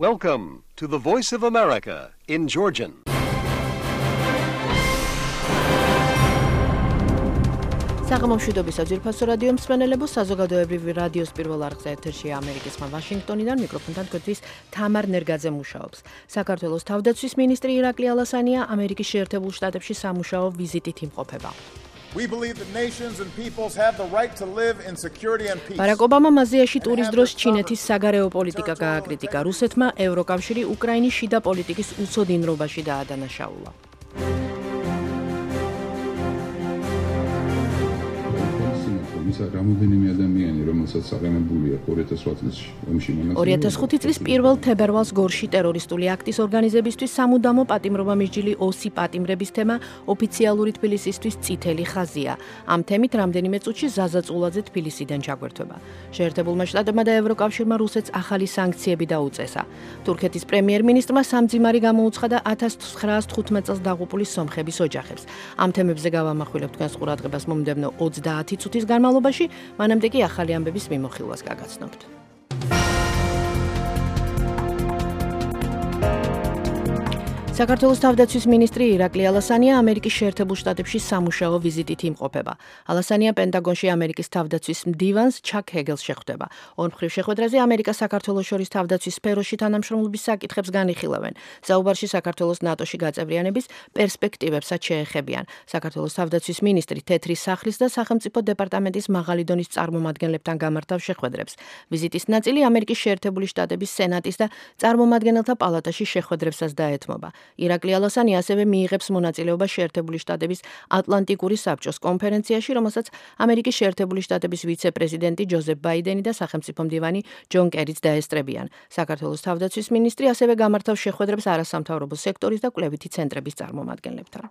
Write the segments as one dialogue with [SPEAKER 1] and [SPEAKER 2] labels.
[SPEAKER 1] Welcome to the Voice of America in Georgian.
[SPEAKER 2] საღამომშვიდობისა ძვირფასო რადიო მსმენელებო, საზოგადოებრივი რადიოს პირველ არხზე ეთერშია ამერიკის ვაშინგტონიდან მიკროფონთან გვერდის თამარ ნერგაძე მუშაობს. საქართველოს თავდაცვის მინისტრი ირაკლი ალასანია ამერიკის შეერთებულ შტატებში სამუშაო ვიზიტით იმყოფება.
[SPEAKER 3] We believe that nations and peoples have the right to live in security and peace.
[SPEAKER 2] ბარაკ ობამამ აზიაში ტურის დროს ჩინეთის საგარეო პოლიტიკა გააკრიტიკა. რუსეთმა ევროკავშირი უკრაინის შიდა პოლიტიკის უცოდინრობაში დაადანაშაულა.
[SPEAKER 4] რამოდენიმე ადამიანი, რომელსაც აღემებულია
[SPEAKER 2] 2005 წლის 1 თებერვალს გორში ტერორისტული აქტის ორგანიზებისთვის სამუდამო პატიმრობა მისჯილი ოსი პატიმრების თემა ოფიციალური თბილისისთვის წითელი ხაზია. ამ თემით რამდენიმე წუთში ზაზა წულაძე თბილისიდან ჩაგვერთვება. შეერთებულმა შტატებმა და ევროკავშირმა რუსეთს ახალი სანქციები დაუწესა. თურქეთის პრემიერ-მინისტრმა სამძიმარი გამოუცხადა 1915 წელს დაღუპული სომხების ოჯახებს. ამ თემებზე გავამახვილებ თქვენს ყურადღებას მომდევნო 30 წუთის განმავლობაში, მანამდე კი ახალი ამბების მიმოხილვას გაგაცნობთ. საქართველოს თავდაცვის მინისტრი ირაკლი ალასანია ამერიკის შეერთებულ შტატებში სამუშაო ვიზიტით იმყოფება. ალასანია პენტაგონში ამერიკის თავდაცვის მდივანს ჩაკ ჰეგელს შეხვდება. ორმხრივ შეხვედრაზე ამერიკა-საქართველოს შორის თავდაცვის სფეროში თანამშრომლობის საკითხებს განიხილავენ. საუბარში საქართველოს ნატოში გაწევრიანების პერსპექტივებსაც შეეხებიან. საქართველოს თავდაცვის მინისტრი თეთრი სახლის და სახელმწიფო დეპარტამენტის მაღალი დონის წარმომადგენლებთან გამართავს შეხვედრებს. ვიზიტის ნაწილი ამერიკის შეერთებული შტატების სენატის და წარმომადგენელთა პალატაში შეხვედრებსაც დაეთმობა. ირაკლი ალასანია ასევე მიიღებს მონაწილეობა შეერთებული შტატების ატლანტიკური საბჭოს კონფერენციაში, რომელსაც ამერიკის შეერთებული შტატების ვიცე-პრეზიდენტი ჯოზეფ ბაიდენი და სახელმწიფო მდივანი ჯონ კერიც დაესწრებიან. საქართველოს თავდაცვის მინისტრი ასევე გამართავს შეხვედრებს არასამთავრობო სექტორის და კვლევითი ცენტრების წარმომადგენლებთან.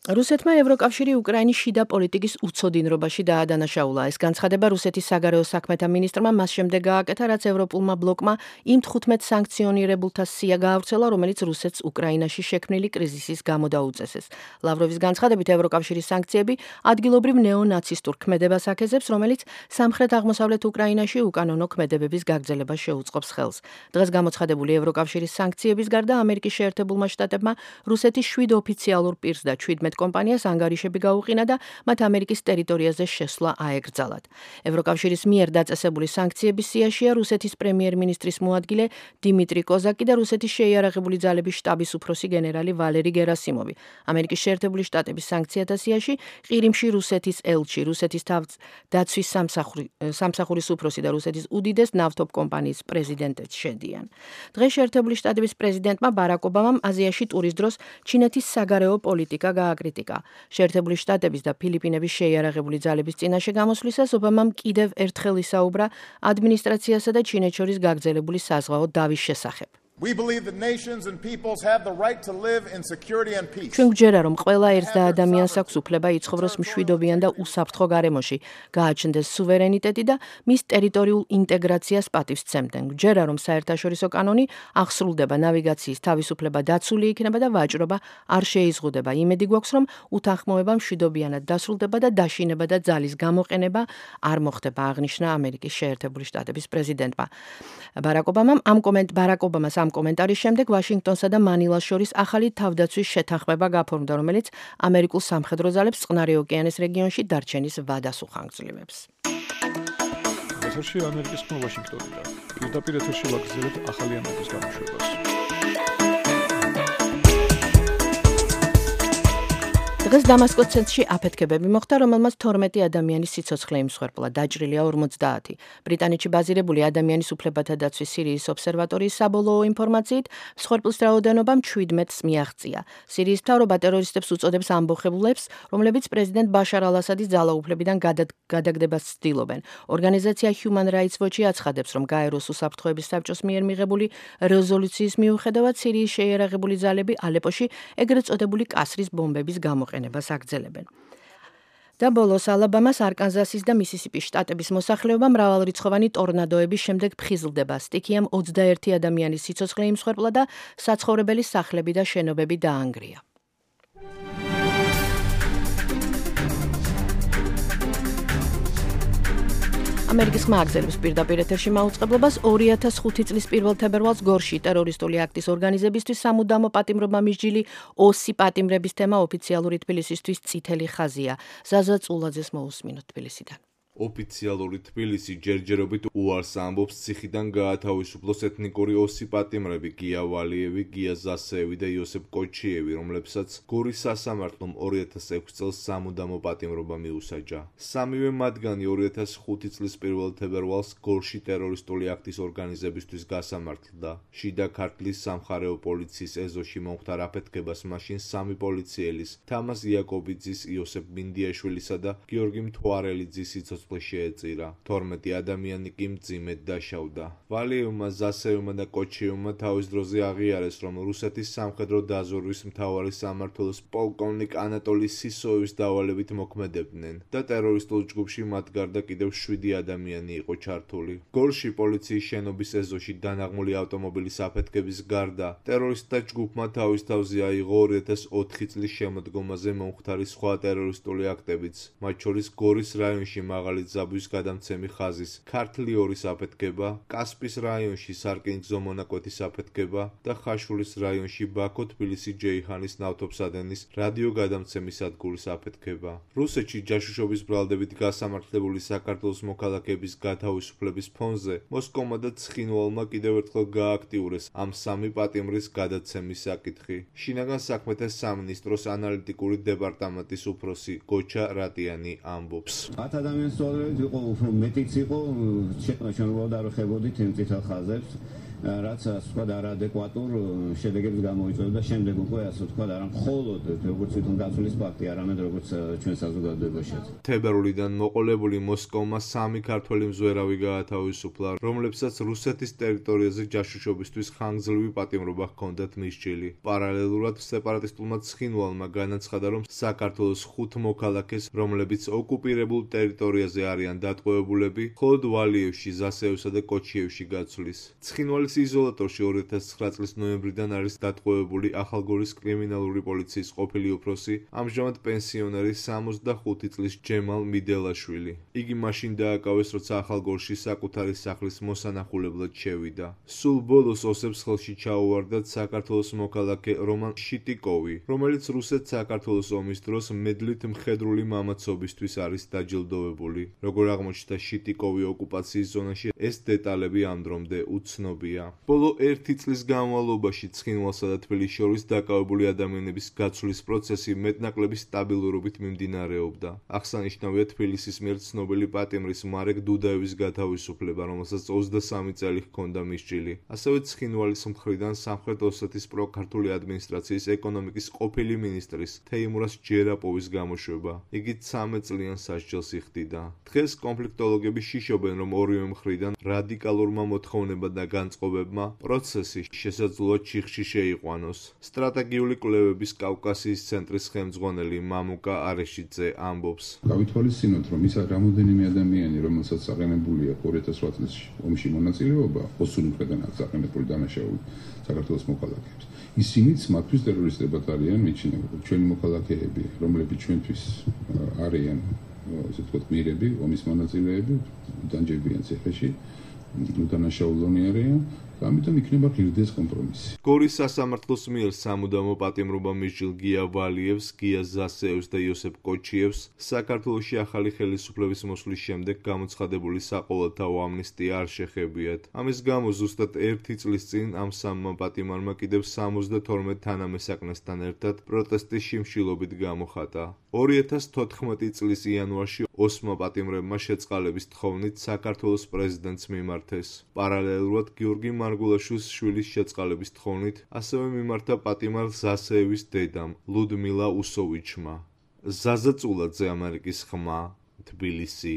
[SPEAKER 2] რუსეთმა ევროკავშირი უკრაინის შიდა პოლიტიკის უცოდინრობაში დაადანაშაულა. ეს განცხადება რუსეთის საგარეო საქმეთა მინისტრმა მას შემდეგ გააკეთა, რაც ევროპულმა ბლოკმა იმ 15 სანქციონირებულთა სია გაავრცელა, რომელიც რუსეთს უკრაინაში შექმნილი კრიზისის გამო დაუწესეს. ლავროვის განცხადებით, ევროკავშირის სანქციები ადგილობრივ ნეონაცისტურ ქმედებას აქეზებს, რომელიც სამხრეთ-აღმოსავლეთ უკრაინაში უკანონო ქმედებების გაგრძელებას შეუწყობს ხელს. დღეს გამოცხადებული ევროკავშირის სანქციების გარდა ამერიკის შეერთებულმა შტატებმა რუსეთის 7 ოფიციალურ პირს და 17 კომპანიას ანგარიშები გაუყინა და მათ ამერიკის ტერიტორიაზე შესვლა აეკრძალათ. ევროკავშირის მიერ დაწესებული სანქციების სიაშია რუსეთის პრემიერ-მინისტრის მოადგილე დიმიტრი კოზაკი და რუსეთის შეიარაღებული ძალების შტაბის უფროსი გენერალი ვალერი გერასიმოვი. ამერიკის შეერთებული შტატების სანქციათა სიაში ყირიმში რუსეთის ელჩი, რუსეთის დაცვის სამსახურის უფროსი და რუსეთის უდიდეს ნავთობ კომპანიის პრეზიდენტიც შედიან. დღეს შეერთებული შტატების პრეზიდენტმა ბარაკ ობამამ აზიაში ტურის დროს ჩინეთის საგარეო პოლიტიკა კრიტიკა. შეერთებული შტატების და ფილიპინების შეიარაღებული ძალების წინაშე გამოსვლისას ობამამ კიდევ ერთხელ ისაუბრა ადმინისტრაციასა და ჩინეთს შორის გაგრძელებული საზღვაო დავის შესახებ.
[SPEAKER 3] We believe that nations and peoples have the right to live in security and peace.
[SPEAKER 2] ჩვენ გვჯერა, რომ ყველა ერთს და ადამიანს აქვს უფლება იცხოვროს მშვიდობიან და უსაფრთხო გარემოში, გააჩნდეს სუვერენიტეტი და მის ტერიტორიულ ინტეგრაციას პატივსცემდნენ. გვჯერა, რომ საერთაშორისო კანონი აღსრულდება, ნავიგაციის თავისუფლება დაცული იქნება და ვაჭრობა არ შეიზღუდება. იმედი გვაქვს, რომ უთანხმოება მშვიდობიანად დასრულდება და დაშინება და ძალის გამოყენება არ მოხდება, აღნიშნა ამერიკის შეერთებული შტატების პრეზიდენტმა. ბარაკ ობამას ამ კომენტარის შემდეგ ვაშინგტონსა და მანილას შორის ახალი თავდაცვის შეთანხმება გაფორმდა, რომელიც ამერიკულ სამხედრო ძალებს წყნარი ოკეანის რეგიონში დარჩენის ვადას უხანგრძლივებს.
[SPEAKER 5] ეთერში ამერიკის ხმა ვაშინგტონიდან. პირდაპირ ეთერში ვაგრძელებთ ახალი ამბების გამოშვებას. დღეს დამასკოს ცენტრში აფეთქებები მოხდა, რომელმაც 12 ადამიანის სიცოცხლე იმსხვერპლა, დაჭრილია 50. ბრიტანეთში ბაზირებული ადამიანის უფლებათა დაცვის სირიის ობსერვატორიის საბოლოო ინფორმაციით, მსხვერპლის რაოდენობამ 17-ს მიაღწია. სირიის მთავრობა ტერორისტებს უწოდებს ამბოხებულებს, რომლებიც პრეზიდენტ ბაშარ ალ-ასადის ძალაუფლებიდან გადაგდებას ცდილობენ. ორგანიზაცია Human Rights Watch აცხადებს, რომ გაეროს უსაფრთხოების საბჭოს მიერ მიღებული რეზოლუციის მიუხედავად სირიის შეიარაღებული ძალები ალეპოში ეგრეთ წოდებული კასრის ბომბების გამოყენებას აგრძელებენ. და ბოლოს ალაბამას, არკანზასის და მისისიპის შტატების მოსახლეობა მრავალრიცხოვანი ტორნადოების შემდეგ ფხიზლდება. სტიქიამ 21 ადამიანის სიცოცხლე იმსხვერპლა და საცხოვრებელი სახლები და შენობები დაანგრია.
[SPEAKER 2] ამერიკის ხმა აგზელებს პირდაპირ ეთერში მაუწყებლობას 2005 წლის 1 თებერვალს გორში ტერორისტული აქტის ორგანიზებისთვის სამუდამო პატიმრობა მისჯილი ოსი პატიმრების თემა ოფიციალური თბილისისთვის წითელი ხაზია. ზაზა წულაძეს მოусმინოთ თბილისიდან.
[SPEAKER 6] ოფიციალური თბილისი ჯერჯერობით უარს ამბობს ციხიდან გაათავისუფლოს ეთნიკური ოსი პატიმრები გია ვალიევი, გია ზასეევი და იოსებ კოჩიევი, რომლებსაც გორის სასამართლომ 2006 წელს სამუდამო პატიმრობა მიუსაჯა. სამივე მათგანი 2005 წლის 1 თებერვალს გორში ტერორისტული აქტის ორგანიზებისთვის გასამართლდა. შიდა ქართლის სამხარეო პოლიციის ეზოში მომხდარ აფეთქებას მაშინ სამი პოლიციელის, თამაზ იაკობიძის, იოსებ მინდიაშვილისა და გიორგი მთვარელიძის სიცოცხლე შეეწირა. 12 ადამიანი კი მძიმედ დაშავდა. ვალიევმა, ზასეევმა და კოჩიევმა თავის დროზე აღიარეს, რომ რუსეთის სამხედრო დაზვერვის მთავარი სამმართველოს პოლკოვნიკ ანატოლი სისოევის დავალებით მოქმედებდნენ და ტერორისტულ ჯგუფში მათ გარდა კიდევ 7 ადამიანი იყო ჩართული. გორში პოლიციის შენობის ეზოში დანაღმული ავტომობილის აფეთქების გარდა ტერორისტთა ჯგუფმა თავის თავზე აიღო 2004 წლის შემოდგომაზე მომხდარი სხვა ტერორისტული აქტებიც, მათ შორის გორის რაიონში მაღალი ზაბვის გადამცემი ხაზის ქართლი ორის აფეთქება, კასპის რაიონში სარკინიგზო მონაკვეთის აფეთქება და ხაშურის რაიონში ბაქო-თბილისი ჯეიჰანის ნავთობსადენის რადიოგადამცემი სადგურის აფეთქება. რუსეთში ჯაშუშობის ბრალდებით გასამართლებული საქართველოს მოქალაქეების გათავისუფლების ფონზე მოსკოვმა და ცხინვალმა კიდევ ერთხელ გააქტიურეს ამ სამი პატიმრის გადაცემის საკითხი. შინაგან საქმეთა სამინისტროს ანალიტიკური დეპარტამენტის უფროსი გოჩა რატიანი ამბობს.
[SPEAKER 7] იყო უფრო მეტიც იყო, შექმნა არ ხებოდით იმ წითელ ხაზებს, რაც სხვა არაადეკვატურ შედეგებს გამოიწვევდა და შემდეგ უკვე ასე ვთქვათ, არა მხოლოდ როგორც თვითონ გაცვლის ფაქტი, არამედ როგორც ჩვენ საზოგადოებაშიც.
[SPEAKER 6] თებერვლიდან მოყოლებული მოსკოვმა სამი ქართველი მზვერავი გაათავისუფლა, რომლებსაც რუსეთის ტერიტორიაზე ჯაშუშობისთვის ხანგრძლივი პატიმრობა ჰქონდათ მისჯილი. პარალელურად სეპარატისტულმა ცხინვალმა განაცხადა, რომ საქართველოს 5 მოქალაქეს, რომლებიც ოკუპირებულ ტერიტორიაზე არიან დატყვევებულები, მხოლოდ ვალიევში, ზასეევსა და კოჩიევში გაცვლის. ცხინვალის იზოლატორში 2009 წლის ნოემბრიდან არის დატყვევებული ახალგორის კრიმინალური პოლიციის ყოფილი უფროსი, ამჟამად პენსიონერი 65 წლის ჯემალ მიდელაშვილი. იგი მაშინ დააკავეს, როცა ახალგორში საკუთარი სახლის მოსანახულებლად შევიდა. სულ ბოლოს ოსებს ხელში ჩაუვარდათ საქართველოს მოქალაქე რომან შიტიკოვი, რომელიც რუსეთ-საქართველოს ომის დროს მედლით მხედრული მამაცობისთვის არის დაჯილდოვებული. როგორ აღმოჩნდა შიტიკოვი ოკუპაციის ზონაში, ეს დეტალები ამ დრომდე უცნობია. ბოლო 1 წლის განმავლობაში ცხინვალსა და თბილისს შორის დაკავებული ადამიანების გაცვლის პროცესი მეტნაკლები სტაბილურობით მიმდინარეობდა. აღსანიშნავია თბილისის მიერ ცნობილი პატიმრის მარეკ დუდაევის გათავისუფლება, რომელსაც 23 წელი ჰქონდა მისჯილი. ასევე ცხინვალის მხრიდან სამხრეთ ოსეთის პროქართული ადმინისტრაციის ეკონომიკის ყოფილი მინისტრის თეიმურას ჯერაპოვის გამოშვება. იგი 13 წლიან სასჯელს იხდიდა. დღეს კონფლიქტოლოგები შიშობენ, რომ ორივე მხრიდან რადიკალურმა მოთხოვნებამ და განწყობებმა პროცესი შესაძლოა ჩიხში შეიყვანოს. სტრატეგიული კვლევების კავკასიის ცენტრის ხელმძღვანელი მამუკა არეშიძე ამბობს.
[SPEAKER 4] გავითვალისწინოთ, რომ ის რამოდენიმე ადამიანი, რომელსაც აყენებული აქვს 2008 წლის ომში მონაწილეობა, ოსური მხრიდან აქვს აყენებული დანაშაული საქართველოს მოქალაქეებს. ისინიც მათთვის ტერორისტებად არიან მიჩნეული. ჩვენი მოქალაქეები, რომლებიც ჩვენთვის არიან, ასე ვთქვათ, მიერები, ომის მონაწილეები, დანჯებიან ციხეში, უდანაშაულონი არიან. ამიტომ იქნება ღირდეს კომპრომისი.
[SPEAKER 6] გორის სასამართლოს მიერ სამუდამო პატიმრობა მისჯილ გია ვალიევს, გია ზასეევს და იოსებ კოჩიევს საქართველოში ახალი ხელისუფლების მოსვლის შემდეგ გამოცხადებული საყოველთაო ამნისტია არ შეხებიათ. ამის გამო ზუსტად 1 წლის წინ ამ სამმა პატიმარმა კიდევ 72 თანამესაკნესთან ერთად პროტესტის შიმშილობით გამოხატა. 2014 წლის იანვარში ოსმა პატიმრებმა შეწყალების თხოვნით საქართველოს პრეზიდენტს მიმართეს. პარალელურად გიორგი მარგულაშვილის შვილის შეწყალების თხოვნით ასევე მიმართა პატიმარ ზასეევის დედამ ლუდმილა უსოვიჩმა. ზაზა წულაძე, ამერიკის ხმა, თბილისი.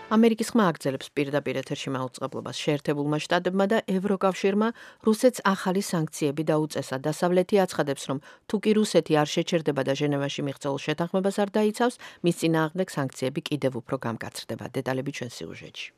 [SPEAKER 2] ამერიკის ხმა აგრძელებს პირდაპირ ეთერში მაუწყებლობას. შეერთებულმა შტატებმა და ევროკავშირმა რუსეთს ახალი სანქციები დაუწესა. დასავლეთი აცხადებს, რომ თუ კი რუსეთი არ შეჩერდება და ჟენევაში მიღწეულ შეთანხმებას არ დაიცავს, მის წინააღმდეგ სანქციები კიდევ უფრო გამკაცრდება. დეტალები ჩვენ სიუჟეტში.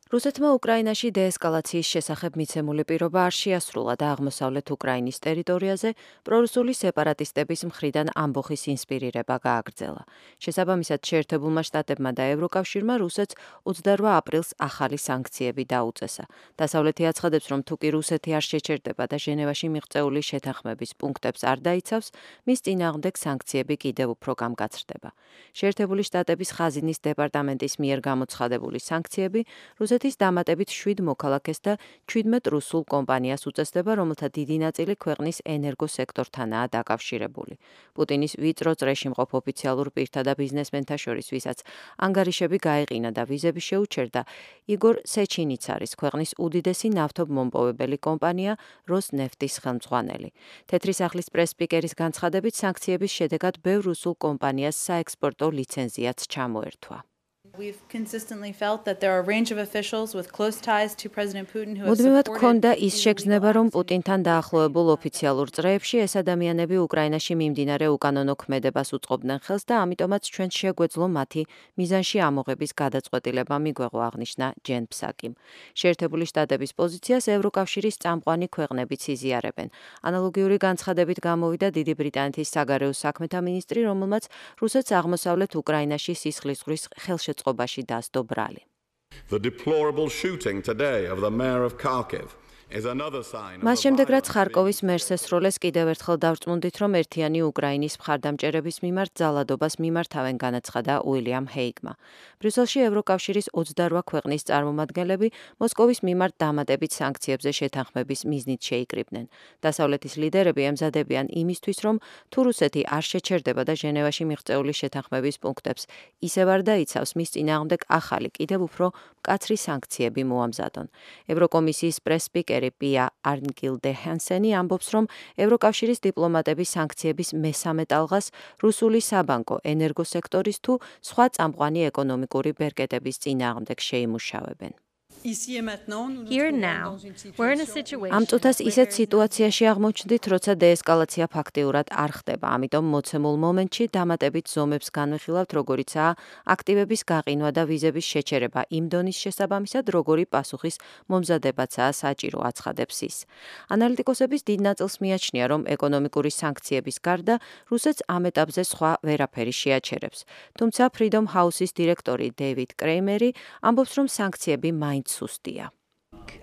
[SPEAKER 5] რუსეთმა უკრაინაში დეესკალაციის შესახებ მიცემული პირობა არ შეასრულა და აღმოსავლეთ უკრაინის ტერიტორიაზე პრორუსული სეპარატისტების მხრიდან ამბოხის ინსპირირება გააგრძელა. შესაბამისად, შეერთებულმა შტატებმა და ევროკავშირმა რუსეთს 28 აპრილს ახალი სანქციები დაუწესა. დასავლეთი აცხადებს, რომ თუკი რუსეთი არ შეჩერდება და ჟენევაში მიღწეული შეთანხმების პუნქტებს არ დაიცავს, მის წინააღმდეგ სანქციები კიდევ უფრო გამგაცრდება. შეერთებული შტატების ხაზინის დეპარტამენტის მიერ გამოცხადებული სანქციები რუსეთის დამატებით 7 მოქალაქეს და 17 რუსულ კომპანიას უწესდება, რომელთა დიდი ნაწილი ქვეყნის ენერგოსექტორთანაა დაკავშირებული. პუტინის ვიწრო წრეში მყოფ ოფიციალურ პირთა და ბიზნესმენთა შორის, ვისაც ანგარიშები გაეყინა და ვიზები შეუჩერდა, იგორ სეჩინიც არის ქვეყნის უდიდესი ნავთობმომპოვებელი კომპანია როსნეფტის ხელმძღვანელი. თეთრი სახლის პრეს-სპიკერის განცხადებით, სანქციების შედეგად ბევრ რუსულ კომპანიას საექსპორტო ლიცენზიაც ჩამოერთვა.
[SPEAKER 8] We've consistently felt that there are a range of officials with close ties to President Putin who have
[SPEAKER 5] მუდმივად
[SPEAKER 8] supported
[SPEAKER 5] ქონდა ის შეგრძნება, რომ პუტინთან დაახლოებულ ოფიციალურ წრეებში ეს ადამიანები უკრაინაში მიმდინარე უკანონო ქმედებას უწყობდნენ ხელს და ამიტომაც ჩვენ შეგვეძლო მათი მიზანში ამოღების გადაწყვეტილება მიგვეღო, აღნიშნა ჯენ ფსაკიმ. შეერთებული შტატების პოზიციას ევროკავშირის წამყვანი ქვეყნებიც იზიარებენ. ანალოგიური განცხადებით გამოვიდა დიდი ბრიტანეთის საგარეო საქმეთა მინისტრი, რომელმაც რუსეთს აღმოსავლეთ უკრაინაში სისხლისღვრის ხელშეწყობაში დასდო ბრალი.
[SPEAKER 9] The deplorable shooting today of the mayor of Kharkiv
[SPEAKER 5] მას შემდეგ, რაც ხარკოვის მერს ესროლეს, კიდევ ერთხელ დავწმუნდით, რომ ერთიანი უკრაინის მხარდამჭერების მიმართ ძალადობას მიმართავენ, განაცხადა უილიამ ჰეიგმა. ბრიუსელში ევროკავშირის 28 ქვეყნის წარმომადგენლები მოსკოვის მიმართ დამატებით სანქციებზე შეთანხმების მიზნით შეიკრიბნენ. დასავლეთის ლიდერები ემზადებიან იმისთვის, რომ თუ რუსეთი არ შეჩერდება და ჟენევაში მიღწეული შეთანხმების პუნქტებს ისევ არ დაიცავს, მის წინააღმდეგ ახალი, კიდევ უფრო მკაცრი სანქციები მოამზადონ. ევროკომისიის პრეს-სპიკერი პია არნგილდე ჰენსენი ამბობს, რომ ევროკავშირის დიპლომატები სანქციების მესამე ტალღას რუსული საბანკო, ენერგოსექტორის თუ სხვა წამყვანი ეკონომიკური ბერკეტების წინააღმდეგ შეიმუშავებენ.
[SPEAKER 10] Here now, we're in a situation.
[SPEAKER 5] ამ წუთას ისეთ სიტუაციაში აღმოჩნდით, როცა დეესკალაცია ფაქტიურად არ ხდება, ამიტომ მოცემულ მომენტში დამატებით ზომებს განვიხილავთ, როგორიცაა აქტივების გაყინვა და ვიზების შეჩერება იმ დონის შესაბამისად, როგორი პასუხის მომზადებაცაა საჭირო, აცხადებს ის. ანალიტიკოსების დიდ ნაწილს მიაჩნია, რომ ეკონომიკური სანქციების გარდა რუსეთს ამ ეტაპზე სხვა ვერაფერი შეაჩერებს. თუმცა Freedom House-ის დირექტორი დეივიდ კრეიმერი ამბობს, რომ სანქციები მაინც სუსტია.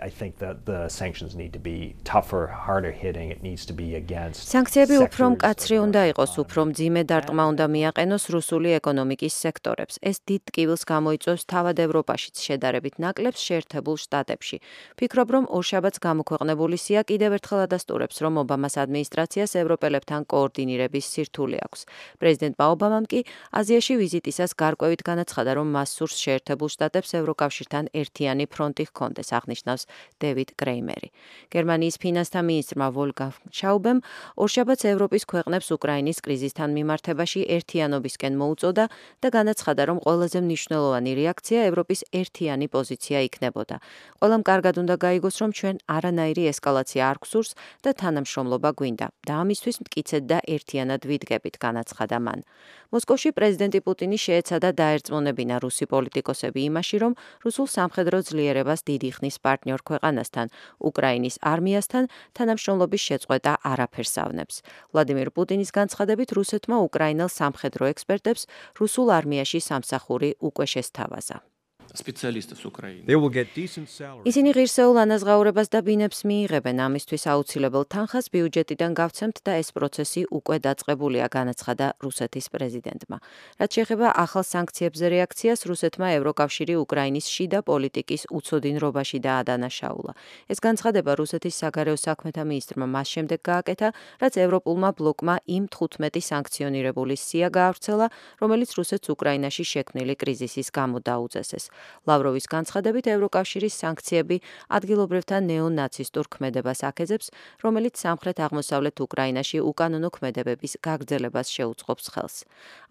[SPEAKER 11] I think that the sanctions need to be tougher, harder hitting. It needs to be against.
[SPEAKER 5] სანქციები უფრო მკაცრი უნდა იყოს, უფრო მძიმე დარტყმა უნდა მიაყენოს რუსული ეკონომიკის სექტორებს. ეს დიდ ტკივილს გამოიწვევს თავად ევროპაშიც შედარებით ნაკლებს შეერთებულ შტატებში. ფიქრობ, რომ ორშაბათს გამოქვეყნებული სია კიდევ ერთხელ ადასტურებს, რომ ობამას ადმინისტრაციას ევროპელებთან კოორდინირების სირთულე აქვს. პრეზიდენტმა ობამამ კი აზიაში ვიზიტისას გარკვევით განაცხადა, რომ მას სურს შეერთებულ შტატებს ევროკავშირთან ერთიანი ფრონტი ჰქონდეს, აღნიშნავს დევიდ კრეიმერი. გერმანიის ფინანსთა მინისტრმა ვოლგანგ შაუბემ ორშაბათს ევროპის ქვეყნებს უკრაინის კრიზისთან მიმართებაში ერთიანობისკენ მოუწოდა და განაცხადა, რომ ყველაზე მნიშვნელოვანი რეაქცია ევროპის ერთიანი პოზიცია იქნებოდა. ყველამ კარგად უნდა გაიგოს, რომ ჩვენ არანაირი ესკალაცია არ გვსურს და თანამშრომლობა გვინდა და ამისთვის მტკიცედ და ერთიანად ვიდგებით, განაცხადა მან. მოსკოვში პრეზიდენტი პუტინი შეეცადა დაერწმუნებინა რუსი პოლიტიკოსები იმაში, რომ რუსულ სამხედრო ძლიერებას დიდი ხნის პარტნიორ ქვეყანასთან, უკრაინის არმიასთან თანამშრომლობის შეწყვეტა არაფერს ავნებს. ვლადიმირ პუტინის განცხადებით, რუსეთმა უკრაინელ სამხედრო ექსპერტებს რუსულ არმიაში სამსახური უკვე შესთავაზა. ისინი ღირსეულ ანაზღაურებას და ბინებს მიიღებენ, ამისთვის აუცილებელ თანხას ბიუჯეტიდან გავცემთ და ეს პროცესი უკვე დაწყებულია, განაცხადა რუსეთის პრეზიდენტმა. რაც შეეხება ახალ სანქციებზე რეაქციას, რუსეთმა ევროკავშირი უკრაინის შიდა პოლიტიკის უცოდინრობაში დაადანაშაულა. ეს განცხადება რუსეთის საგარეო საქმეთა მინისტრმა მას შემდეგ გააკეთა, რაც ევროპულმა ბლოკმა იმ 15 სანქციონირებული სია გაავრცელა, რომელიც რუსეთს უკრაინაში შექმნილი კრიზისის გამო დაუწესეს. ლავროვის განცხადებით, ევროკავშირის სანქციები ადგილობრივთა ნეონაცისტურ ქმედებას აქეზებს, რომელიც სამხრეთ-აღმოსავლეთ უკრაინაში უკანონო ქმედებების გაგრძელებას შეუწყობს ხელს.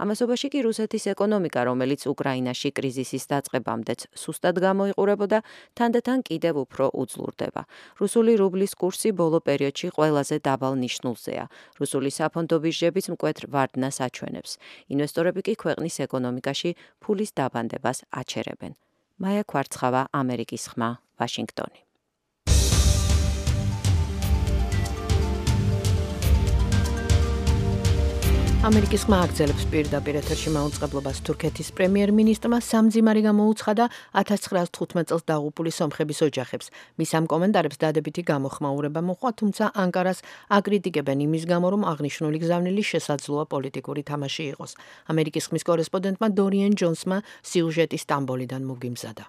[SPEAKER 5] ამასობაში კი რუსეთის ეკონომიკა, რომელიც უკრაინაში კრიზისის დაწყებამდეც სუსტად გამოიყურებოდა, თანდათან კიდევ უფრო უძლურდება. რუსული რუბლის კურსი ბოლო პერიოდში ყველაზე დაბალ ნიშნულზეა. რუსული საფონდო ბირჟებიც მკვეთრ ვარდნას აჩვენებს. ინვესტორები კი ქვეყნის ეკონომიკაში ფულის დაბანდებას აჩერებენ.
[SPEAKER 12] მაია ქვარცხავა, ამერიკის ხმა, ვაშინგტონი.
[SPEAKER 2] ამერიკის ხმა აგრძელებს პირდაპირ ეთერში მაუწყებლობას თურქეთის პრემიერ-მინისტრმა სამძიმარი გამოუცხადა 1915 წელს დაღუპული სომხების ოჯახებს. მის ამ კომენტარებს დადებითი გამოხმაურება მოჰყვა, თუმცა ანკარას აკრიტიკებენ იმის გამო, რომ აღნიშნული გზავნილი შესაძლოა პოლიტიკური თამაში იყოს. ამერიკის ხმის კორესპონდენტმა დორიენ ჯონსმა სიუჟეტი სტამბოლიდან მოგიმზადა.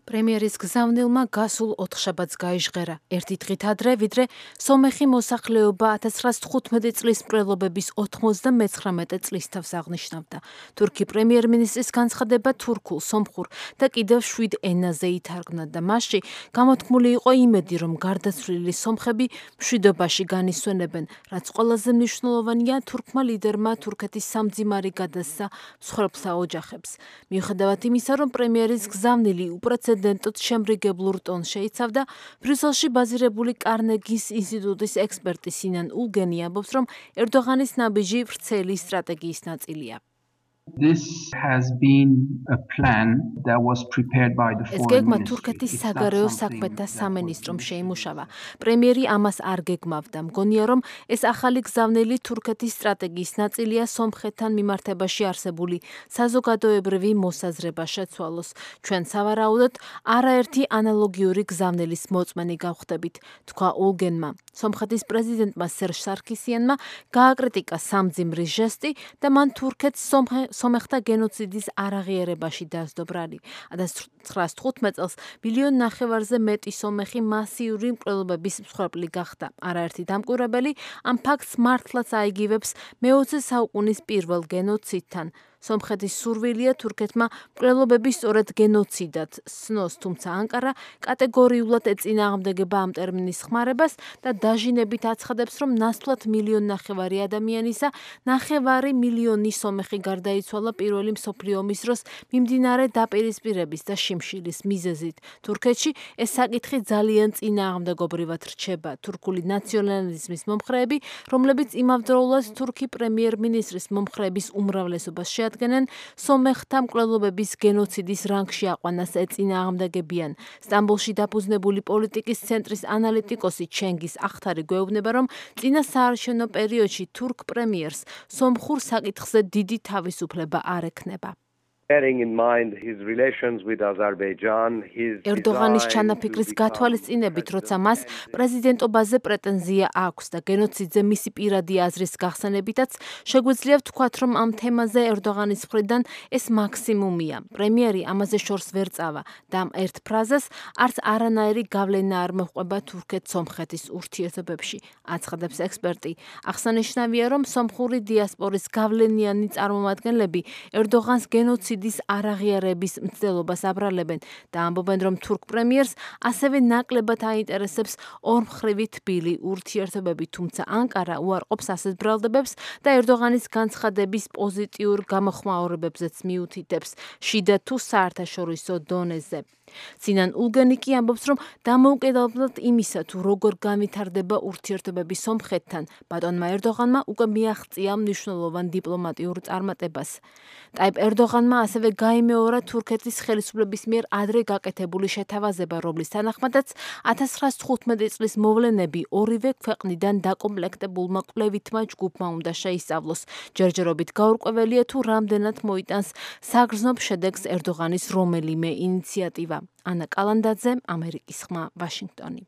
[SPEAKER 5] პრემიერის გზავნილმა გასულ ოთხშაბათს გაიჟღერა, ერთი დღით ადრე, ვიდრე სომეხი მოსახლეობა 1915 წლის მკვლელობების 99 წლის თავს აღნიშნავდა. თურქი პრემიერ-მინისტრის განცხადება თურქულ, სომხურ და კიდევ 7 ენაზე ითარგმნა და მასში გამოთქმული იყო იმედი, რომ გარდაცვლილი სომხები მშვიდობაში განისვენებენ, რაც ყველაზე მნიშვნელოვანია თურქმა ლიდერმა თურქეთის სამძიმარი გადასცა მსხვერპლთა ოჯახებს. მიუხედავად იმისა, რომ პრემიერის გზავნილი უპრეცედენტოდ შემრიგებლურ ტონს შეიცავდა, ბრიუსელში ბაზირებული კარნეგის ინსტიტუტის ექსპერტი სინან ულგენი ამბობს, რომ ერდოღანის ნაბიჯი ვრცელი სტრატეგიის ნაწილია.
[SPEAKER 13] This has been a plan that was prepared by the
[SPEAKER 5] ეს გეგმა თურქეთის საგარეო საქმეთა სამინისტრომ შეიმუშავა. პრემიერი ამას არ გეგმავდა. მგონია, რომ ეს ახალი გზავნილი თურქეთის სტრატეგიის ნაწილია სომხეთთან მიმართებაში არსებული საზოგადოებრივი მოსაზრება შეცვალოს. ჩვენ სავარაუდოდ არაერთი ანალოგიური გზავნილის მოწმენი გავხდებით, თქვა ულგენმა. სომხეთის პრეზიდენტმა სერჟ სარქისიანმა გააკრიტიკა სამძიმრის ჟესტი და მან თურქეთს სომეხთა გენოციდის არაღიარებაში დასდო ბრალი. 1915 წელს 1,5 მილიონზე მეტი სომეხი მასიური მკვლელობების მსხვერპლი გახდა. არაერთი დამკვირვებელი ამ ფაქტს მართლაც აიგივებს მე-20 საუკუნის პირველ გენოციდთან. სომხეთის სურვილია თურქეთმა მკვლელობები სწორედ გენოციდად სნოს, თუმცა ანკარა კატეგორიულად ეწინააღმდეგება ამ ტერმინის ხმარებას და დაჟინებით აცხადებს, რომ ნაცვლად 1,5 მილიონი ადამიანისა 9,5 მილიონი სომეხი გარდაიცვალა პირველი მსოფლიო ომის დროს მიმდინარე დაპირისპირების და შიმშილის მიზეზით. თურქეთში ეს საკითხი ძალიან წინააღმდეგობრივად რჩება. თურქული ნაციონალიზმის მომხრეები, რომლებიც იმავდროულად თურქი პრემიერ-მინისტრის მომხრეების უმრავლესობას შეადგენენ, სომეხთა მკვლელობების გენოციდის რანგში აყვანას ეწინააღმდეგებიან. სტამბოლში დაფუძნებული პოლიტიკის ცენტრის ანალიტიკოსი ჩენგის ახთარი გვეუბნება, რომ წინა საარჩევნო პერიოდში თურქ პრემიერს სომხურ საკითხზე დიდი თავისუფლება არ ექნება. ერდოღანის ჩანაფიქრის გათვალისწინებით, როცა მას პრეზიდენტობაზე პრეტენზია აქვს და გენოციდზე მისი პირადი აზრის გახსენებითაც, შეგვიძლია ვთქვათ, რომ ამ თემაზე ერდოღანის მხრიდან ეს მაქსიმუმია. პრემიერი ამაზე შორს ვერ წავა და ამ ერთ ფრაზას არც არანაირი გავლენა არ მოჰყვება თურქეთ-სომხეთის ურთიერთობებში, აცხადებს ექსპერტი. აღსანიშნავია, რომ სომხური დიასპორის გავლენიანი წარმომადგენლები ერდოღანს გენოციდის არაღიარების მცდელობას აბრალებენ და ამბობენ, რომ თურქ პრემიერს ასევე ნაკლებად აინტერესებს ორმხრივი თბილი ურთიერთობები, თუმცა ანკარა უარყოფს ასეთ ბრალდებებს და ერდოღანის განცხადების პოზიტიურ გამოხმაურებებზეც მიუთითებს, შიდა თუ საერთაშორისო დონეზე. სინან ულგენი კი ამბობს, რომ დამოუკიდებლად იმისა, თუ როგორ განვითარდება ურთიერთობები სომხეთთან, ბატონმა ერდოღანმა უკვე მიაღწია მნიშვნელოვან დიპლომატიურ წარმატებას. ტაიპ ერდოღანმა ასევე გაიმეორა თურქეთის ხელისუფლების მიერ ადრე გაკეთებული შეთავაზება, რომლის თანახმადაც 1915 წლის მოვლენები ორივე ქვეყნიდან დაკომპლექტებულმა კვლევითმა ჯგუფმა უნდა შეისწავლოს. ჯერჯერობით გაურკვეველია, თუ რამდენად მოიტანს საგრძნობ შედეგს ერდოღანის რომელიმე ინიციატივა. ანა კალანდაძე, ამერიკის ხმა, ვაშინგტონი.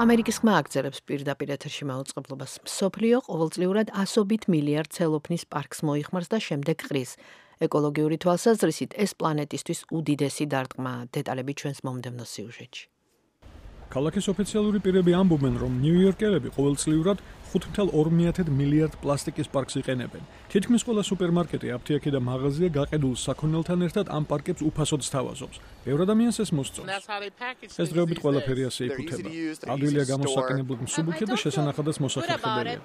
[SPEAKER 2] ამერიკის ხმა აგრძელებს პირდაპირ ეთერში მაუწყებლობას. მსოფლიო ყოველწლიურად 100 მილიარდ ცელოფნის პარკს მოიხმარს და შემდეგ ყრის. ეკოლოგიური თვალსაზრისით ეს პლანეტისთვის უდიდესი დარტყმაა. დეტალები ჩვენს მომდევნო სიუჟეტში.
[SPEAKER 14] ქალაქის ოფიციალური პირები ამბობენ, რომ ნიუ-იორკელები ყოველწლიურად 5.2 მილიარდ პლასტიკის პარკს იყენებენ. თითქმის ყველა სუპერმარკეტი, აფთიაქი და მაღაზია გაყიდულ საქონელთან ერთად ამ პარკებს უფასოდ სთავაზობს. ბევრ ადამიანს ეს მოსწონს. ეს დღეობით ყველაფერი ასე იკუთება. ადვილია გამოსაყენებლად მსუბუქი და შესანახადაც მოსახერხებელია.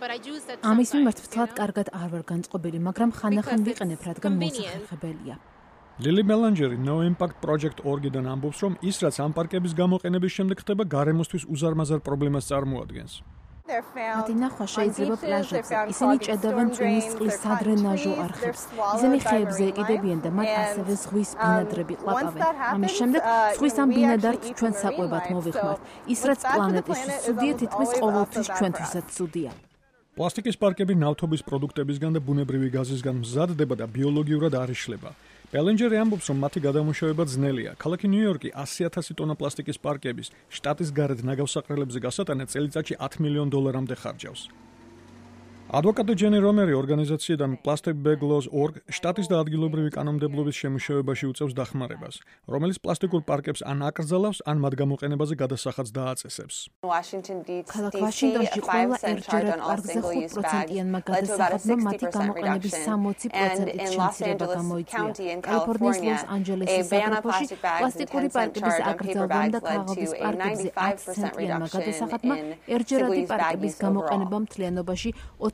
[SPEAKER 5] ამის მიმართ ვთქვათ, კარგად არ ვარ განწყობილი, მაგრამ ხანდახან ვიყენებ, რადგან მოსახერხებელია.
[SPEAKER 14] ლილი მელანჯერი No Impact Project.org-დან ამბობს, რომ ის, რაც ამ პარკების გამოყენების შემდეგ ხდება, გარემოსთვის უზარმაზარ პრობლემას წარმოადგენს.
[SPEAKER 5] მათი ნახვა შეიძლება პლაჟებზე. ისინი ჭედავენ წვიმის წყლის სადრენაჟო არხებს. ისინი ხეებზე ეკიდებიან და მათ ასევე ზღვის ბინადრები ყლაპავენ. ამის შემდეგ ზღვის ამ ბინადართ ჩვენ საკვებად მოვიხმართ. ის რაც პლანეტისთვის ცუდია, თითქმის ყოველთვის ჩვენთვისაც ცუდია.
[SPEAKER 14] პლასტიკის პარკები ნავთობის პროდუქტებისგან და ბუნებრივი გაზისგან მზადდება და ბიოლოგიურად არ იშლება. პელენჯერი ამბობს, რომ მათი გადამუშავება ძნელია. ქალაქი ნიუ-იორკი 100,000 ტონა პლასტიკის პარკების შტატის გარეთ ნაგავსაყრელებზე გასატანად წელიწადში $10 მილიონამდე ხარჯავს. ადვოკატი ჯენი რომერი ორგანიზაციიდან Plastic Bag Laws.org შტატის და ადგილობრივი კანონმდებლობის შემუშავებაში უწევს დახმარებას, რომელიც პლასტიკურ პარკებს ან აკრძალავს, ან მათ გამოყენებაზე გადასახადს დააწესებს.
[SPEAKER 5] ქალაქ ვაშინგტონში ყველა ერთჯერად პარკზე 5%-იანმა გადასახადმა მათი გამოყენების 60%-ით შემცირება გამოიწვია. კალიფორნიის ლოს-ანჯელესის საგრაფოში პლასტიკური პარკების აკრძალვამ და ქაღალდის პარკებზე 10%-იანმა გადასახადმა ერთჯერადი პარკების გამოყენება მთლიანობაში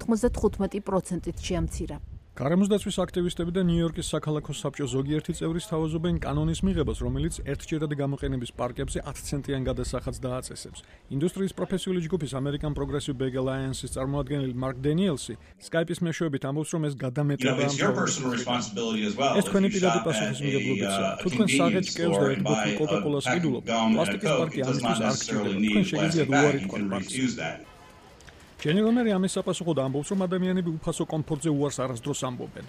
[SPEAKER 5] 95%-ით შეამცირა.
[SPEAKER 14] გარემოს დაცვის აქტივისტები და ნიუ-იორკის საქალაქო საბჭოს ზოგიერთი წევრი სთავაზობენ კანონის მიღებას, რომელიც ერთჯერადი გამოყენების პარკებზე 10 ცენტიან გადასახადს დააწესებს. ინდუსტრიის პროფესიული ჯგუფის American Progressive Bag Alliance-ის წარმომადგენელი მარკ დენიელსი Skype-ის მეშვეობით ამბობს, რომ ეს გადამეტება ეს თქვენი პირადი პასუხისმგებლობებია. თუ თქვენ საღეთ კევს და ერთ ბოთლ კოკა-კოლას ყიდულობთ, პლასტიკის პარკი ამისთვის არ გჭირდება. თქვენ შეგიძლიათ უარი თქვათ პარკს. ჯენი რომერი ამის საპასუხოდ ამბობს, რომ ადამიანები უფასო კომფორტზე უარს არასდროს ამბობენ.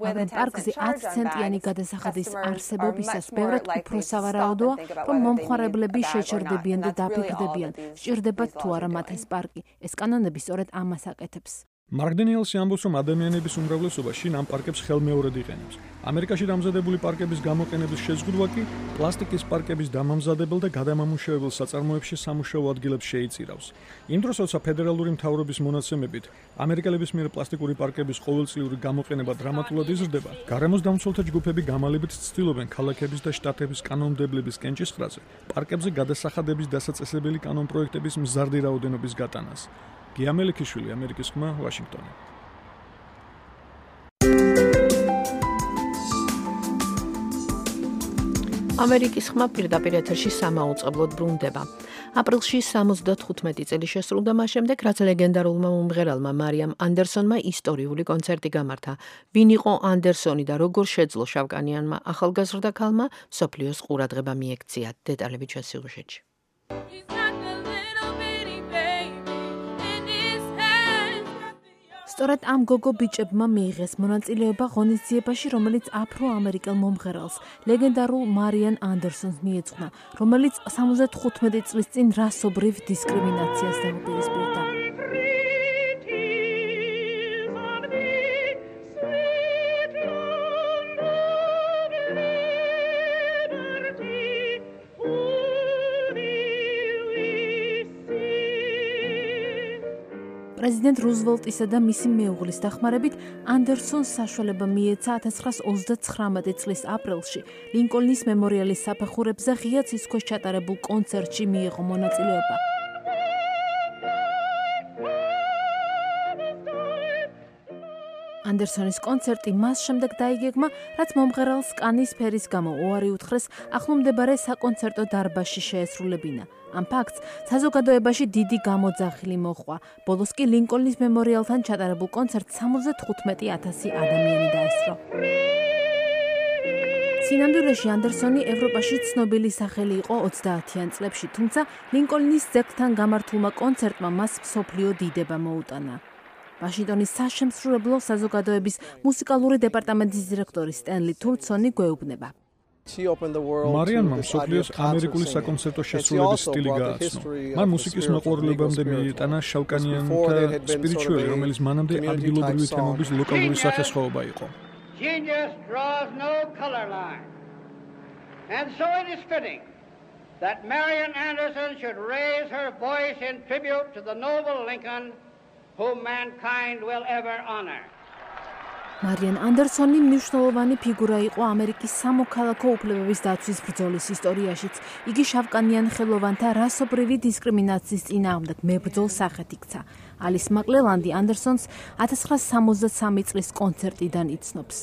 [SPEAKER 5] მაგრამ პარკზე 10 ცენტიანი გადასახადის არსებობისას ბევრად უფრო სავარაუდოა, რომ მომხმარებლები შეჩერდებიან და დაფიქრდებიან, სჭირდებათ თუ არა მათ ეს პარკი. ეს კანონები სწორედ ამას აკეთებს.
[SPEAKER 14] მარკ დენიელსი ამბობს, რომ ადამიანების უმრავლესობა შინ ამ პარკებს ხელმეორედ იყენებს. ამერიკაში დამზადებული პარკების გამოყენების შეზღუდვა კი პლასტიკის პარკების დამამზადებელ და გადამამუშავებელ საწარმოებში სამუშაო ადგილებს შეიწირავს. იმ დროს, როცა ფედერალური მთავრობის მონაცემებით ამერიკელების მიერ პლასტიკური პარკების ყოველწლიური გამოყენება დრამატულად იზრდება, გარემოს დამცველთა ჯგუფები გამალებით ცდილობენ ქალაქების და შტატების კანონმდებლების კენჭისყრაზე პარკებზე გადასახადების დასაწესებელი კანონპროექტების მზარდი რაოდენობის გატანას. გია მელიქიშვილი, ამერიკის ხმა, ვაშინგტონი.
[SPEAKER 2] ამერიკის ხმა პირდაპირ ეთერში სამაუწყებლოდ ბრუნდება. აპრილში 75 წელი შესრულდა მას შემდეგ, რაც ლეგენდარულმა მომღერალმა მარიამ ანდერსონმა ისტორიული კონცერტი გამართა. ვინ იყო ანდერსონი და როგორ შეძლო შავკანიანმა ახალგაზრდა ქალმა მსოფლიოს ყურადღება მიექცია? დეტალები ჩვენ სიუჟეტში.
[SPEAKER 5] სწორედ ამ გოგო ბიჭებმა მიიღეს მონაწილეობა ღონისძიებაში, რომელიც აფრო-ამერიკელ მომღერალს, ლეგენდარულ მარიან ანდერსონს მიეძღვნა, რომელიც 75 წლის წინ რასობრივ დისკრიმინაციას დაუპირისპირდა. პრეზიდენტ რუზველტისა და მისი მეუღლის დახმარებით ანდერსონს საშუალება მიეცა 1929 წლის აპრილში ლინკოლნის მემორიალის საფეხურებზე ღია ცის ქვეშ ჩატარებულ კონცერტში მიიღო მონაწილეობა. ანდერსონის კონცერტი მას შემდეგ დაიგეგმა, რაც მომღერალს კანის ფერის გამო უარი უთხრეს ახლომდებარე საკონცერტო დარბაზში შეესრულებინა. ამ ფაქტს საზოგადოებაში დიდი გამოძახილი მოჰყვა. ბოლოს კი ლინკოლნის მემორიალთან ჩატარებულ კონცერტს 75,000 ადამიანი დაესწრო. სინამდვილეში ანდერსონი ევროპაში ცნობილი სახელი იყო 30-იან წლებში, თუმცა ლინკოლნის ძეგლთან გამართულმა კონცერტმა მას მსოფლიო დიდება მოუტანა. ვაშინგტონის საშემსრულებლო საზოგადოების მუსიკალური დეპარტამენტის დირექტორი სტენლი თურცონი გვეუბნება.
[SPEAKER 14] მარიანმა მსოფლიოს ამერიკული საკონცერტო შესრულების სტილი გააცნო. მან მუსიკის მოყვარულებამდე მიიტანა შავკანიანთა სპირიჩუელი, რომელიც მანამდე ადგილობრივი თემების ლოკალური სახესხვაობა იყო.
[SPEAKER 15] Genius draws no color line. And so it is fitting that Marian Anderson should raise her voice in tribute to the noble Lincoln whom mankind will ever honor.
[SPEAKER 5] მარიან ანდერსონი მნიშვნელოვანი ფიგურა იყო ამერიკის სამოქალაქო უფლებების დაცვის ბრძოლის ისტორიაშიც. იგი შავკანიან ხელოვანთა რასობრივი დისკრიმინაციის წინააღმდეგ მებრძოლ სახედ იქცა. ალის მაკლელანდი ანდერსონს 1963 წლის კონცერტიდან იცნობს.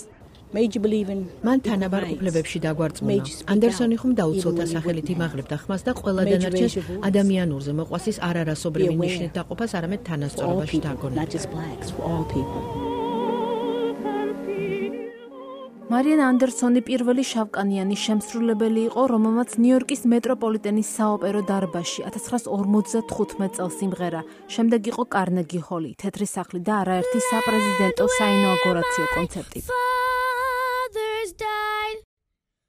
[SPEAKER 2] მან თანაბარ უფლებებში დაგვარწმუნა. ანდერსონი ხომ დაუცოლთა სახელით იმაღლებდა ხმას და ყველა დანარჩენს ადამიანურზე მოყვასის არარასობრივი ნიშნით დაყოფას არამედ თანასწორობაში დაგონა.
[SPEAKER 5] მარიან ანდერსონი პირველი შავკანიანი შემსრულებელი იყო, რომელმაც ნიუ-იორკის მეტროპოლიტენის საოპერო დარბაზში 1955 წელს სიმღერა. შემდეგ იყო კარნეგი ჰოლი, თეთრი სახლი და არაერთი საპრეზიდენტო საინაუგურაციო კონცერტი.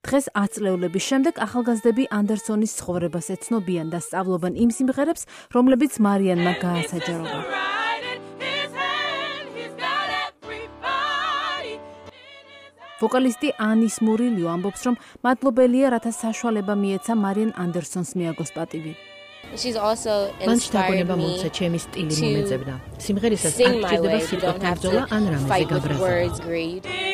[SPEAKER 5] დღეს 10 წლეულების შემდეგ ახალგაზრდები ანდერსონის ცხოვრებას ეცნობიან და სწავლობენ იმ სიმღერებს, რომლებიც მარიანმა გაასაჯაროვა. ვოკალისტი ანის მურილიო ამბობს, რომ მადლობელია, რათა საშუალება მიეცა მარიან ანდერსონს მიაგოს პატივი.
[SPEAKER 2] მან შთაგონება მომცა ჩემი სტილი მომეძებნა. სიმღერისას არ გჭირდება სიტყვათა ბრძოლა ან რამეზე გაბრაზება.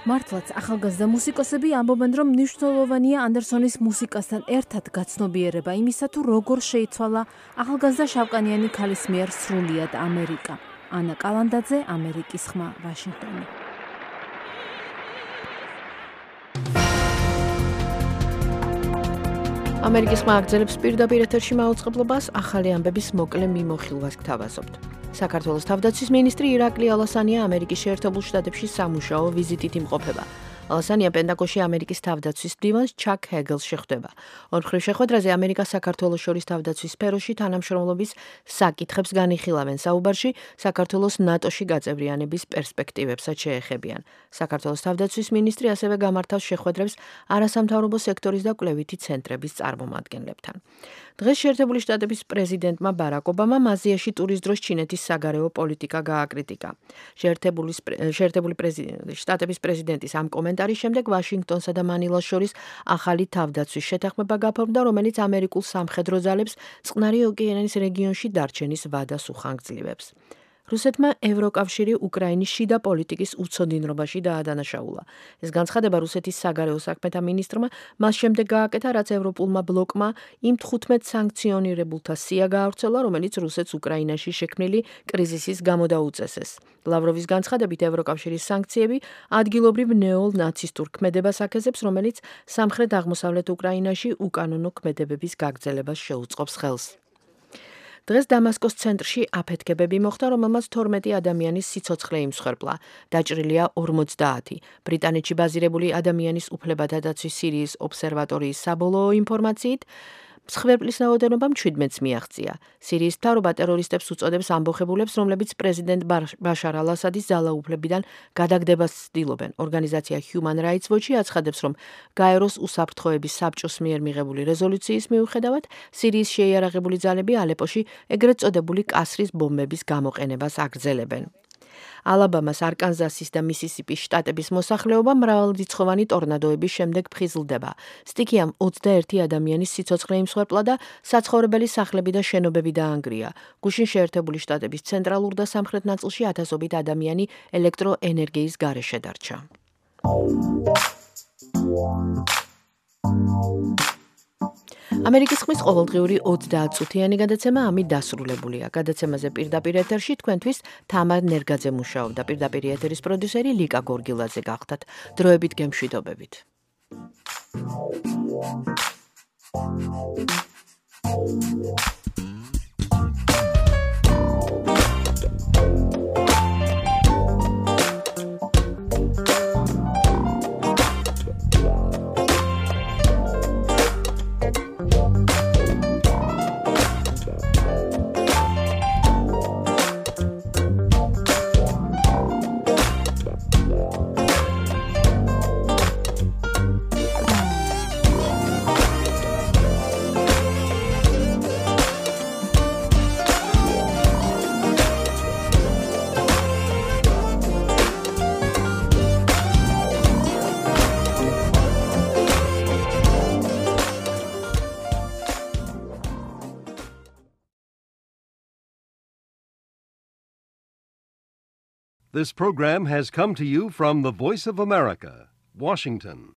[SPEAKER 2] მართლაც ახალგაზრდა მუსიკოსები ამბობენ, რომ მნიშვნელოვანია ანდერსონის მუსიკასთან ერთად გაცნობიერება იმისა, თუ როგორ შეიცვალა ახალგაზრდა შავკანიანი ქალის მიერ სრულიად ამერიკა. ანა კალანდაძე, ამერიკის ხმა, ვაშინგტონი. ამერიკის ხმა აგრძელებს პირდაპირ ეთერში მაუწყებლობას, ახალი ამბების მოკლე მიმოხილვას გთავაზობთ. საქართველოს თავდაცვის მინისტრი ირაკლი ალასანია ამერიკის შეერთებულ შტატებში სამუშაო ვიზიტით იმყოფება. ალასანია პენტაგონში ამერიკის თავდაცვის მდივანს ჩაკ ჰეგელს შეხვდება. ორმხრივ შეხვედრაზე ამერიკას საქართველოს შორის თავდაცვის სფეროში თანამშრომლობის საკითხებს განიხილავენ. საუბარში საქართველოს ნატოში გაწევრიანების პერსპექტივებსაც შეეხებიან. საქართველოს თავდაცვის მინისტრი ასევე გამართავს შეხვედრებს არასამთავრობო სექტორის და კვლევითი ცენტრების წარმომადგენლებთან. დღეს შეერთებული შტატების პრეზიდენტმა ბარაკ ობამამ აზიაში ტურის დროს ჩინეთის საგარეო პოლიტიკა გააკრიტიკა. შეერთებული შტატების პრეზიდენტის ამ კომენტარის შემდეგ ვაშინგტონსა და მანილას შორის ახალი თავდაცვის შეთანხმება გაფორმდა, რომელიც ამერიკულ სამხედრო ძალებს წყნარი ოკეანის რეგიონში დარჩენის ვადას უხანგრძლივებს. რუსეთმა ევროკავშირი უკრაინის შიდა პოლიტიკის უცოდინრობაში დაადანაშაულა. ეს განცხადება რუსეთის საგარეო საქმეთა მინისტრმა მას შემდეგ გააკეთა, რაც ევროპულმა ბლოკმა იმ 15 სანქციონირებულთა სია გაავრცელა, რომელიც რუსეთს უკრაინაში შექმნილი კრიზისის გამო დაუწესეს. ლავროვის განცხადებით ევროკავშირის სანქციები ადგილობრივ ნეო-ნაცისტურ ქმედებას აქეზებს, რომელიც სამხრეთ-აღმოსავლეთ უკრაინაში უკანონო ქმედებების გაგრძელებას შეუწყობს ხელს. დღეს დამასკოს ცენტრში აფეთქებები მოხდა, რომელმაც 12 ადამიანის სიცოცხლე იმსხვერპლა. დაჭრილია 50. ბრიტანეთში ბაზირებული ადამიანის უფლებათა დაცვის სირიის ობსერვატორიის საბოლოო ინფორმაციით, მსხვერპლის რაოდენობამ 17-ს მიაღწია. სირიის მთავრობა ტერორისტებს უწოდებს ამბოხებულებს, რომლებიც პრეზიდენტ ბაშარ ალ-ასადის ძალაუფლებიდან გადაგდებას ცდილობენ. ორგანიზაცია Human Rights Watch აცხადებს, რომ გაეროს უსაფრთხოების საბჭოს მიერ მიღებული რეზოლუციის მიუხედავად, სირიის შეიარაღებული ძალები ალეპოში ეგრეთ წოდებული კასრის ბომბების გამოყენებას აგრძელებენ. ალაბამას, არკანზასის და მისისიპის შტატების მოსახლეობა მრავალრიცხოვანი ტორნადოების შემდეგ ფხიზლდება. სტიქიამ 21 ადამიანის სიცოცხლე იმსხვერპლა და საცხოვრებელი სახლები და შენობები დაანგრია. გუშინ შეერთებული შტატების ცენტრალურ და სამხრეთ ნაწილში ათასობით ადამიანი ელექტროენერგიის გარეშე დარჩა. ამერიკის ხმის ყოველდღიური 20 წუთიანი გადაცემა ამით დასრულებულია. გადაცემაზე პირდაპირ ეთერში თქვენთვის თამარ ნერგაძე მუშაობდა. პირდაპირ ეთერის პროდიუსერი ლიკა გორგილაძე გახდათ. დროებით გემშვიდობებით.
[SPEAKER 1] This program has come to you from the Voice of America, Washington.